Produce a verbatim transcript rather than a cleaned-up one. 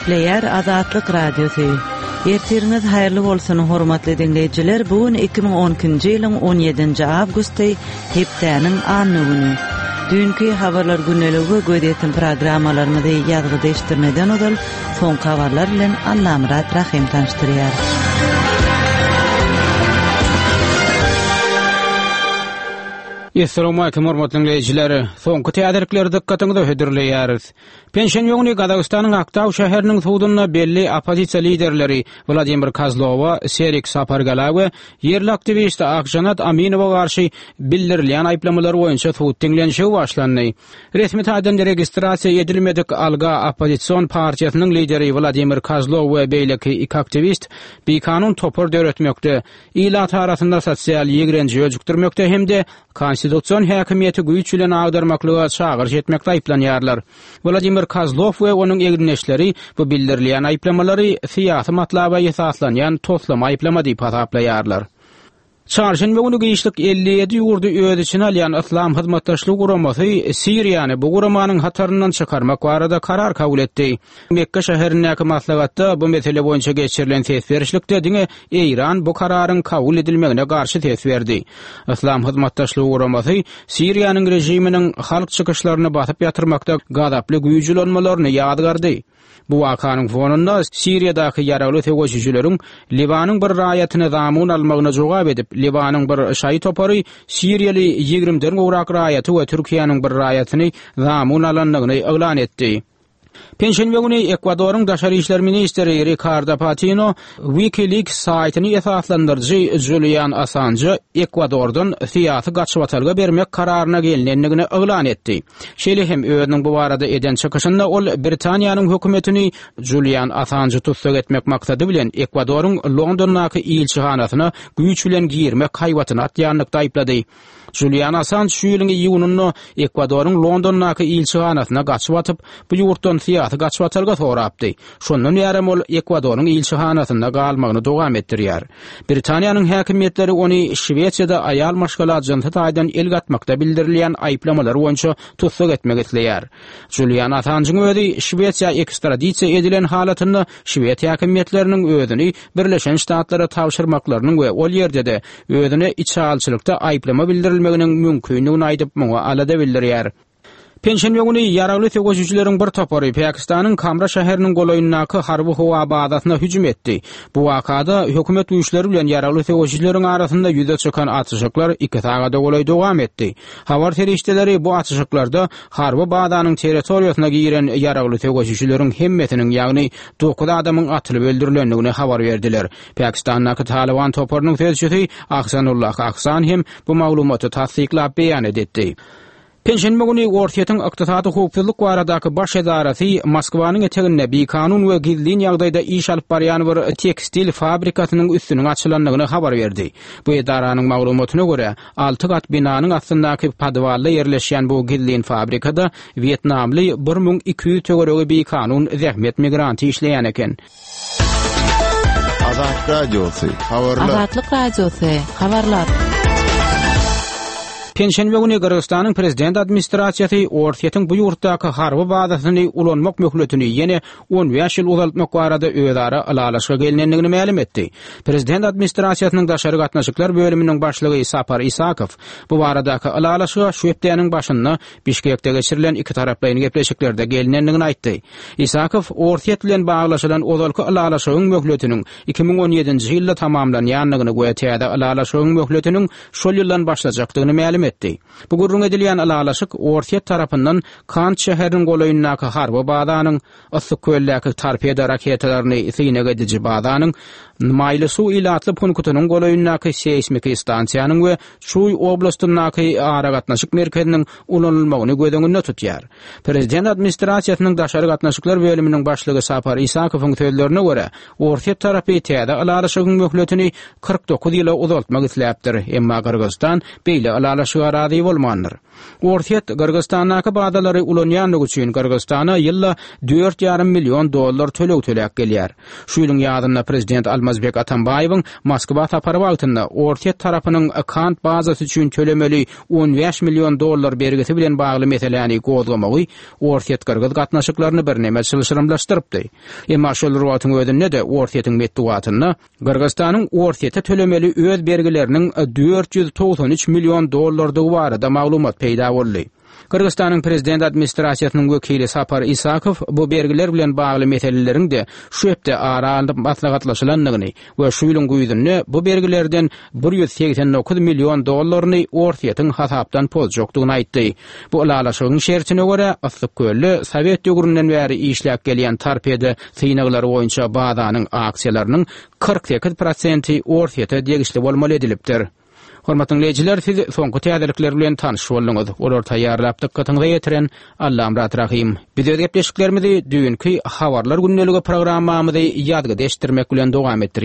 Gepleýär Azatlyk Radiosy. Ertiriňiz haýyrly bolsun, hormatly diňleýjiler. Bu gün iki müň on ikinji ýylyň on ýedinji awgusty, hepdäniň anna güni. Düýnki habarlar gündeligi we gözýetim programmalarymyzy ýazgyda eşitdirmeden ozal soňky habarlar bilen Allamyrat Rahym tanyşdyrýar. Essalamu alaykum hormatly dinleýjiler. Soňky täzelikleri dykgatyňyza hödürleýäris. Penşenbe güni Gazagystanyň Aktau şäheriniň sudunda belli oppozisiýa liderleri Wladimir Kozlowa, Serik Sapargala we ýerli aktiwist Akjanat Aminowa garşy bildirilýän aýyplamalar boýunça sud diňlenişigi başlandy. Resmi taýdan registrasiýa edilmedik Alga oppozision partiýasynyň lideri Wladimir Kozlow we beýleki iki aktiwist bikanun topar döretmekde, ilat arasynda sosial ýigrenji öjükdirmekde hem-de konstitusion häkimiýeti güýç bilen agdarmaklyga çagyryş etmekde aýyplanýarlar. Wladimir Kozlow we onuň egindeşleri bu bildirilýän aýyplamalary syýasy matlaba esaslanýan toslama aýyplama diýip hasaplaýarlar. Çarşenbe güni giçlik elli ýedi ýurdy öz içine alýan Yslam Hyzmatdaşlygy Guramasy Siriýany bu guramanyň hataryndan çykarmak barada karar kabul etdi. Mekke şäherindäki maslahatda bu mesele boýunça geçirilen ses berişlikde diňe Eýran bu kararyň kabul edilmegine garşy ses berdi. Yslam Hyzmatdaşlygy Guramasy Siriýanyň rejiminiň halk çykyşlaryny basyp ýatyrmakda gazaply güýç ulanmalaryny ýazgardy. Bu wakanyň fonunda Siriýadaky ýaragly söweşijileriň Liwanyň bir raýatyny zamun almagyna jogap edip, Liwanyň bir şaýy topary Siriýaly ýigrimden gowrak raýaty we Türkiýäniň bir raýatyny zamun alandygyny yglan etdi. Penşenbe güni Ekwadoryň daşary işler ministri Ricardo Patino WikiLeaks saýtyny esaslandyryjy Julian Assange Ekwadordan syýasy gaçybatalga bermek kararyna gelinendigini yglan etdi. Şeýle hem özüniň bu barada eden çykyşynda ol Britaniýanyň hökümetini Julian Assange tussag etmek maksady bilen Ekwadoryň Londondaky ilçihanasyna güýç bilen girmek haýbatyny atýanlykda aýyplady. Julian Assange şu ýylyň iýunynda Ekwadoryň Londondaky ilçihanasyna gaçyp atyp, bu ýurtdan syýasy gaçybatalga sorapdy. Şondan bärem ol Ekwadoryň ilçihanasynda galmagyny dowam etdirýär. Britaniýanyň häkimiýetleri ony Şwesiýada aýal maşgala jynsy taýdan el gatmakda bildirilýän aýyplamalar boýunça tussag etmek isleýär. Julian Assange'yň özi Şwesiýa ekstradisiýa edilen halatynda Şwed häkimiýetleriniň özüni Birleşen Ştatlara tabşyrmaklarynyň we ol ýerde-de özüne içalçylykda aýyplama bildirilmeginiň mümkindigini aýdyp, muňa alada bildirýär. Penşenbe güni ýaragly söweşijileriň bir topary Pakistanyň Kamra şäheriniň golaýyndaky harby howa bazasyna hüjüm etdi. Bu wakada hökümet güýçleri bilen ýaragly söweşijileriň arasynda ýüze çykan atyşyklar iki sagada golaý dowam etdi. Habar serişdeleri bu atyşyklarda harby bazanyň territoriýasyna giren ýaragly söweşijileriň hemmesiniň, ýagny dokuz adamyň atylyp öldürilendigini habar berdiler. Pakistandaky Taliban toparynyň sözçüsi Ahsanullah Ahsan hem bu maglumaty tassyklap beýan etdi. Penşenbe güni Orsýetiň ykdysady howpsuzlyk baradaky baş edarasy Moskwanyň eteginde bikanun we gizlin ýagdaýda iş alyp barýan bir tekstil fabrikasynyň üstüniň açylandygyny habar berdi. Bu edaranyň maglumatyna görä, alty gat binanyň astyndaky podwalda ýerleşýän bu gizlin fabrikada Wýetnamly bir müň iki ýüz töweregi bikanun zähmet migranty işleýän eken. Azat Radiosy, habarlar. Azatlyk Radiosy, habarlar. Penşenbe güni Gyrgyzystanyň prezident administrasiýasy Orsýetiň bu ýurtdaky harby bazasyny ulanmak möhletini ýene on bäş ýyl uzaltmak barada özara ylalaşyga gelinendigini mälim etdi. Prezident administrasiýasynyň daşary gatnaşyklar bölüminiň başlygy Sapar Isakow bu baradaky ylalaşyga şu hepdäniň başynda Bişkekde geçirilen iki taraplaýyn gepleşiklerde gelinendigini aýtdy. Isakow Orsýet bilen baglaşylan ozalky ylalaşygyň möhletiniň iki müň on ýedinji ýylda tamamlanýandygyny we täze ylalaşygyň möhletiniň şol ýyldan başlajakdygyny mälim etdi. Bu gürrüň edilýän ylalaşyk Orsýet tarapyndan Kant şäheriniň golaýyndaky harby bazanyň, Yssyk-Köldäki torpedo raketalaryny synag ediji bazanyň, Maýly suw ilatly punktynyň golaýyndaky seýsmiki stansiýanyň we Çuý oblastyndaky aragatnaşyk merkeziniň ulanylmagyny göz öňünde tutýar. Prezident administrasiýasynyň daşary gatnaşyklar bölüminiň başlygy Sapar Isakowyň sözlerine görä, Orsýet tarapy täze ylalaşygyň möhletini kyrk dokuz ýyla uzaltmak isläpdir, emma Gyrgyzystan beýle ylalaşyga razy bolmandyr. Orsýet Gyrgyzystandaky bazalary ulanýanlygy üçin Gyrgyzystana ýylda dört ýarym million dollar töleg töläp gelýär. Şu ýylyň ýazynda prezident Almazbek Atambaýewiň Moskwa sapary wagtynda Orsýet tarapynyň Kant bazasy üçin tölemeli on bäş million dollar bergisi bilen bagly meseläni gozgamagy Orsýet-Gyrgyz gatnaşyklaryny birneme çylşyrymlaşdyrypdy. Emma şol bir wagtyň özünde-de Orsýetiň metbugatynda Gyrgyzystanyň Orsýete tölemeli öz bergileriniň dört ýüz togsan üç million dollardygy barada maglumat peýda boldy. Gyrgyzystanyň prezident administrasiýasynyň wekili Sapar Isakow bu bergiler bilen bagly meseleleriň-de şu hepde ara alnyp maslahatlaşylandygyny we şu ýylyň güýzünde bu bergilerden bir ýüz segsen dokuz million dollaryny Orsýetiň hasapdan pozjakdygyny aýtdy. Bu ylalaşygyň şertine görä, Yssykkölde Sowet döwründen bäri işläp gelýän torpeda synaglary boýunça bazanyň aksiýalarynyň kyrk sekiz prosenti Orsýete degişli bolmaly edilipdir. Hormatly dinleýjiler, siz soňky täzelikler bilen tanyş bolduňyz. Olar taýýarlap dykgatyňyza ýetiren Allamyrat Rahym. Biz öz gepleşiklerimizi düýnki Habarlar gündeligi programmamyzy ýazgyda eşitdirmek bilen dowam etdirýäris.